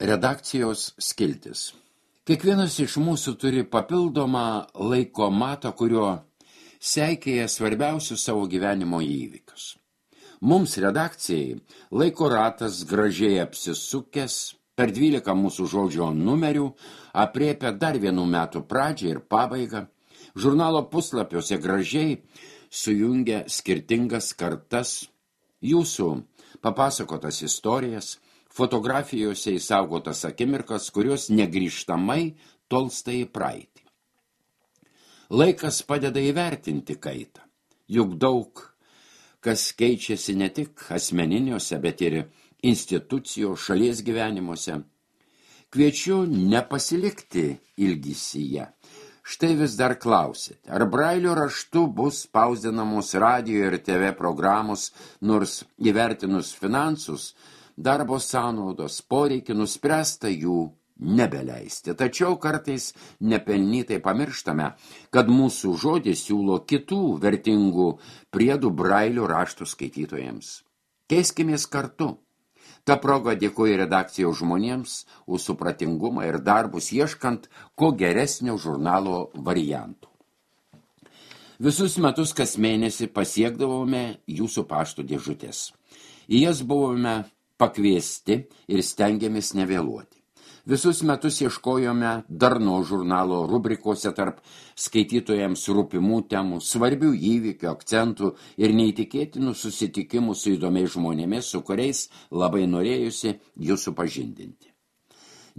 Redakcijos skiltis. Kiekvienas iš mūsų turi papildomą laiko matą, kurio seikėja svarbiausius savo gyvenimo įvykius. Mums redakcijai laiko ratas gražiai apsisukęs, per 12 mūsų žodžio numerių aprėpia dar vienų metų pradžią ir pabaigą, žurnalo puslapiuose gražiai sujungia skirtingas kartas, jūsų papasakotas istorijas, fotografijose įsaugotas akimirkas, kurios negrįžtamai tolsta į praeitį. Laikas padeda įvertinti kaitą, juk daug kas keičiasi ne tik asmeniniuose, bet ir institucijos šalies gyvenimuose. Kviečiu nepasilikti ilgisyje. Štai vis dar klausite, ar Brailio raštu bus spausdinamos radijo ir TV programos, nors įvertinus finansus, darbo sąnaudos, poreikį nuspręsta jų nebeleisti. Tačiau kartais nepelnytai pamirštame, kad mūsų žodis siūlo kitų vertingų priedų Brailio raštų skaitytojams. Keiskimės kartu. Ta proga dėkoju redakcijos žmonėms už supratingumą ir darbus ieškant ko geresnio žurnalo variantų. Visus metus kas mėnesį pasiekdavome jūsų pašto dėžutės. Į jas buvome pakviesti ir stengiamės nevėluoti. Visus metus ieškojome darno žurnalo rubrikose tarp skaitytojams rūpimų temų, svarbių įvykių, akcentų ir neįtikėtinų susitikimų su įdomiais žmonėmis, su kuriais labai norėjusi jūs supažindinti.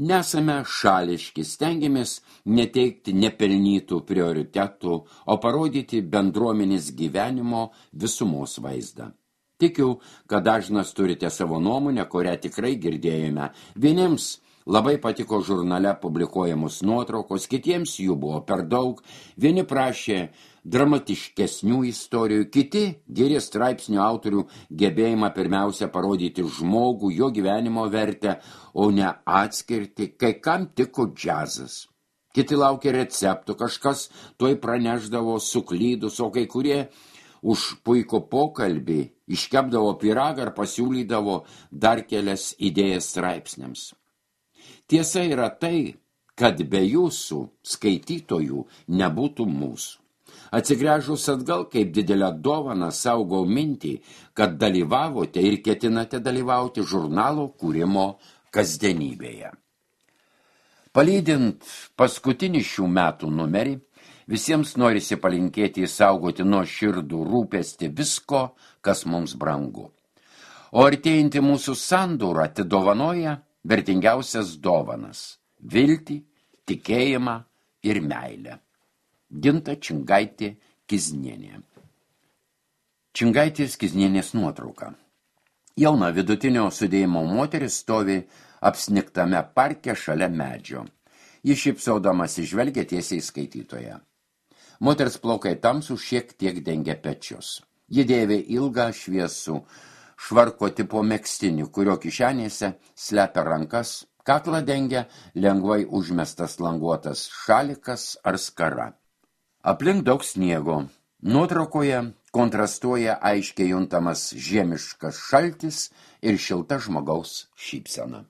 Nesame šališki, stengiamės neteikti nepelnytų prioritetų, o parodyti bendruomenės gyvenimo visumos vaizdą. Tikiu, kad dažnas turite savo nuomonę, kurią tikrai girdėjome. Vieniems labai patiko žurnale publikuojamos nuotraukos, kitiems jų buvo per daug, vieni prašė dramatiškesnių istorijų, kiti gyrė straipsnių autorių gebėjimą pirmiausia parodyti žmogų, jo gyvenimo vertę, o ne atskirti, kai kam tiko džiazas. Kiti laukė receptų, kažkas tuoj pranešdavo suklydus, o kai kurie už puikų pokalbį iškepdavo pyragą ar pasiūlydavo dar kelias idėjas straipsniams. Tiesa yra tai, kad be jūsų skaitytojų nebūtų mūsų. Atsigręžus atgal kaip didelę dovaną saugau mintį, kad dalyvavote ir ketinate dalyvauti žurnalo kūrimo kasdienybėje. Palydint paskutinį šių metų numerį, visiems norisi palinkėti įsaugoti nuoširdų rūpestį visko, kas mums brangu. O artėjantį mūsų sandūrą atidovanoja vertingiausias dovanas – viltį, tikėjimą ir meilę. Ginta Čingaitė Kiznienė. Čingaitės Kiznienės nuotrauka. Jauna vidutinio sudėjimo moteris stovi apsniktame parke šalia medžio. Ji šypsaudamas žvelgia tiesiai skaitytoje. Moters plaukai tamsų šiek tiek dengia pečius. Ji dėvi ilgą šviesų švarko tipo megztinį, kurio kišenėse slepia rankas, kaklą dengia lengvai užmestas languotas šalikas ar skara. Aplink daug sniego. Nuotraukoje kontrastuoja aiškiai juntamas žiemiškas šaltis ir šilta žmogaus šypsena.